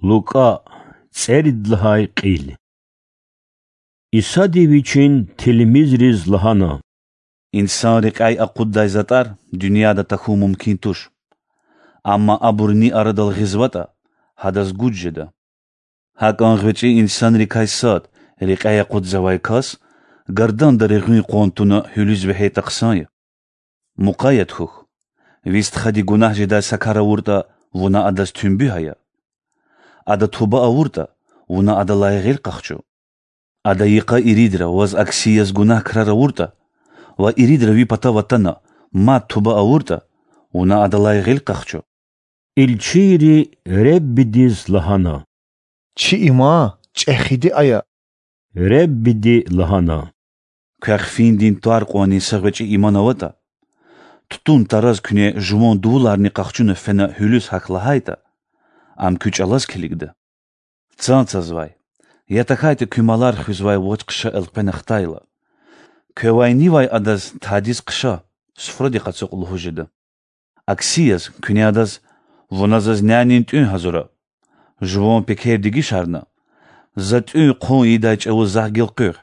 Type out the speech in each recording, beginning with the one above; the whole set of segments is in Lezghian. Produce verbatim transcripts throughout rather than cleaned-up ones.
Лукӏа, цӏерид лагьай кьил. Исади Вичин тилмизриз лагьана: Инсан рекьяй акъуддай затӏар дуьньяда тахьун мумкин туш. Амма абур ни арадал гъизватӏа, гьадаз гуж жеда. Гьакӏан гъвечӏи инсанрикай сад, рекьяй акъудзавай кас, гарданда регъуьн къван туна гьуьлуьз вегьейтӏа хъсан я. Мукъаят хьухь: ви стхади гунагь жедай са кар авуртӏа, вуна адаз туьнбуь ая. Ада туба авуртӏа, вуна адалай гъил къахчу. Ада йикъа иридра ваз акси яз гунагь крар авуртӏа ва иридра ви патав атана мад туба авуртӏа, вуна адалай гъил къахчу. Илчийри Худадиз лагьана: Чи иман чӏехиди ая. Худади лагьана: Квехъ финдин тӏвар кьванни са гъвечӏи иман аватӏа, тутун тараз куьне жуван дувуларни къахчуна фена гьуьлуьз гьахь лагьайтӏа, ам куь чӏалаз килигда. Цан цазвай, я тахьайтӏа куь малар хуьзвай вач-хъша элкъвена хтайла, квевай нивай адаз: Тадиз хъша, суфрадихъ ацукь,– лугьуз жеда. Акси яз, куьне адаз: Вуна заз нянин тӏуьн гьазура, жуван пекер дегишарна, за тӏуьн-хъун ийидай чӏавуз захъ гелкъуьгъ,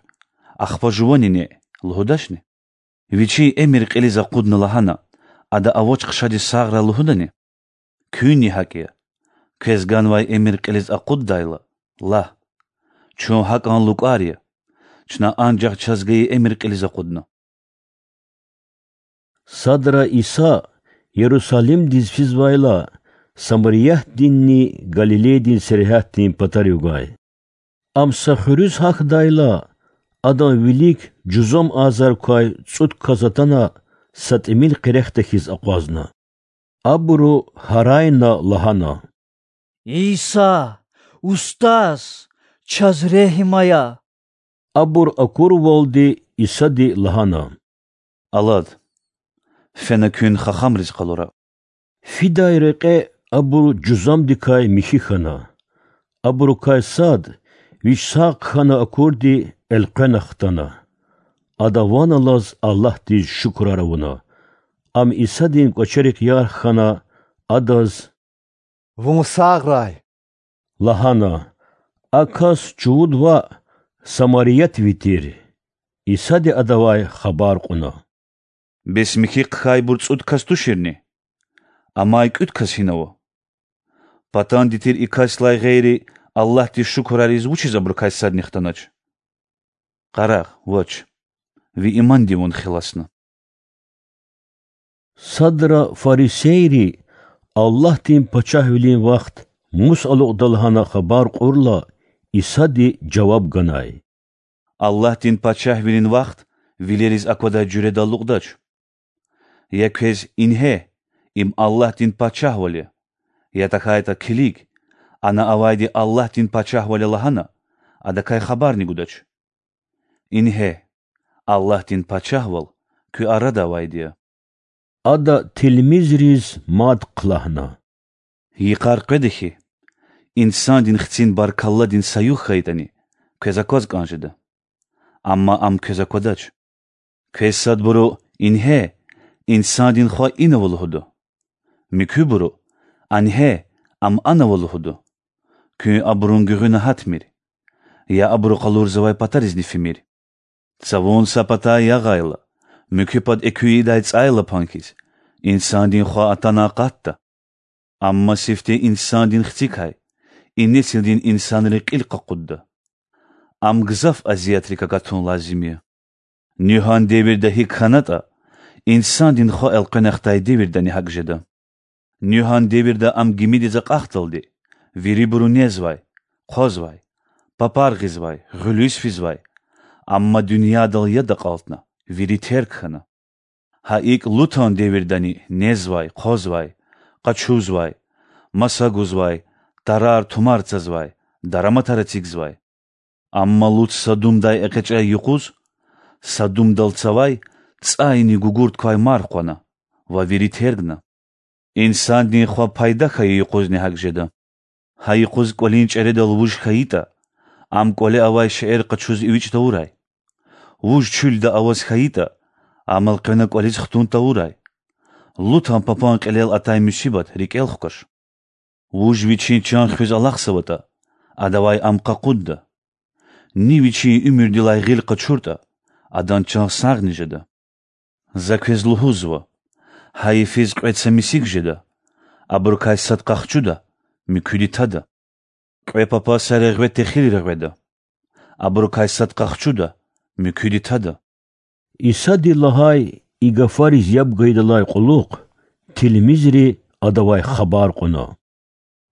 ахпа жувани неъ,– лугьудачни? Вичин эмир кьилиз акъудна лагьана, ада а вач-хъшадиз сагърай лугьудани? Куьнни гьакӏ я. Квез ганвай эмир кьилиз акъуддайла, лагь: Чун гьакӏан лукӏар я, чна анжах чаз гайи эмир кьилиз акъудна. Садра Иса Ярусалимдиз физвайла, Самариятдинни Галилейдин сергьятдин патарив гвай. Ам са хуьруьз гьахдайла, адан вилик жузам азар квай цӏуд кас атана, са тӏимил къерехда хьиз акъвазна. Абуру гьарайна лагьана: Иса, Устаз, чаз регьим ая! Абур акурвалди Исади лагьана: Алад, фена куьн хахамриз къалура. Фидай рекье абур жузамдикай михьи хьана. Абурукай сад, вич сагъ хьана акурди, элкъвена хтана. Ада ван алаз Аллагьдиз шукурар авуна. Ам Исадин кӏвачерихъ ярх хьана, адаз: Вун сагърай,– лагьана. А кас чувуд ваъ, самариятви тир. Исади адавай хабар кьуна: Бес михьи хъхьайбур цӏуд кас туширни? Амай кӏуьд кас гьинава? Патанди тир и касдилай гъейри Аллагьдиз шукурар ийиз вучиз абурукай садни хтанач? Къарагъ, вач, ви иманди вун хиласна. Садра фарисейри Аллагьдин пачагьвилин вахт мус алукьда лагьана хабар кьурла, Исади жаваб ганай: Аллагьдин пачагьвилин вахт вилериз аквадай жуьредал алукьдач. Я квез: Ингье, им Аллагьдин пачагьвал я, я тахьайтӏа: Килиг, ана авайди Аллагьдин пачагьвал я лагьана, адакай хабарни гудач. Ингье, Аллагьдин пачагьвал куь арада авайди я. Ада тилмизриз мад хълагьна: Йикъар къведа хьи, Инсандин Хцин баркалладин са югъ хьайитӏани, квез акваз кӏан жеда. Амма ам квез аквадач. Квез садбуру: Ингье, Инсандин Хва ина ава лугьуда. Муькуьбуру: Ингье, ам ана ава лугьуда. Куьн абурун гуьгъуьна гьатмир, я абуру къалурзавай патаризни фимир. Цавун са патай ягъайла, муькуь пад экуь ийидай цӏайлапан хьиз, Инсандин Хва атана акъатда. Амма сифте Инсандин Хцикай и несилдин инсанри кьил къакъудда. Ам гзаф азиятрик агатун лазим я. Нуьгьан девирда гьикӏ хьанатӏа, Инсандин Хва элкъвена хтай девирдани гьакӏ жеда. Нуьгьан девирда ам гимидиз акьахдалди вирибуру незвай, хъвазвай, папар гъизвай, гъуьлуьз физвай, амма дуьньядал яд акьалтна, вири терг хьана. Гьа икӏ Лутан девирдани незвай, хъвазвай, къачузвай, маса гузвай, тарар-тумар цазвай, дараматар эцигзавай. Амма Лут Садумдай экъечӏай юкъуз Садумдал цавай цӏайни гугурт квай марф къвана ва вири тергна. Инсандин Хва пайда хьайи юкъузни гьакӏ жеда. Гьа юкъуз кӏвалин чӏередал вуж хьайитӏа, ам кӏвале авай шейэр къачуз эвичӏ тавурай. Вуж чуьлда аваз хьайитӏа, ам элкъвена кӏвализ хтун тавурай. Лутан папан кьилел атай мусибат рикӏел хкваш. Вуж вичин чан хуьз алахъзаватӀа, адавай ам къакъудда. Ни вичин уьмуьрдилай гъил къачуртӀа, адан чан сагъни жеда. За квез лугьузва: гьа йифиз кьве цамисик жеда, абурукай сад къахчуда, муькуьди тада. Кьве папаз са регъве техил регъведа, абурукай сад къахчуда, муькуьди тада. Исади лагьай и гафариз яб гайидалай кьулухъ тилмизри Адавай хабар кьуна: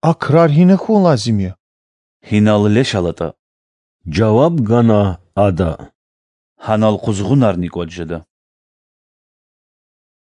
А крар гьина хьун лазим я? Гьинал леш алатӀа,– жаваб гана Ада,– гьанал къузгъунарни кӀватӀ жеда.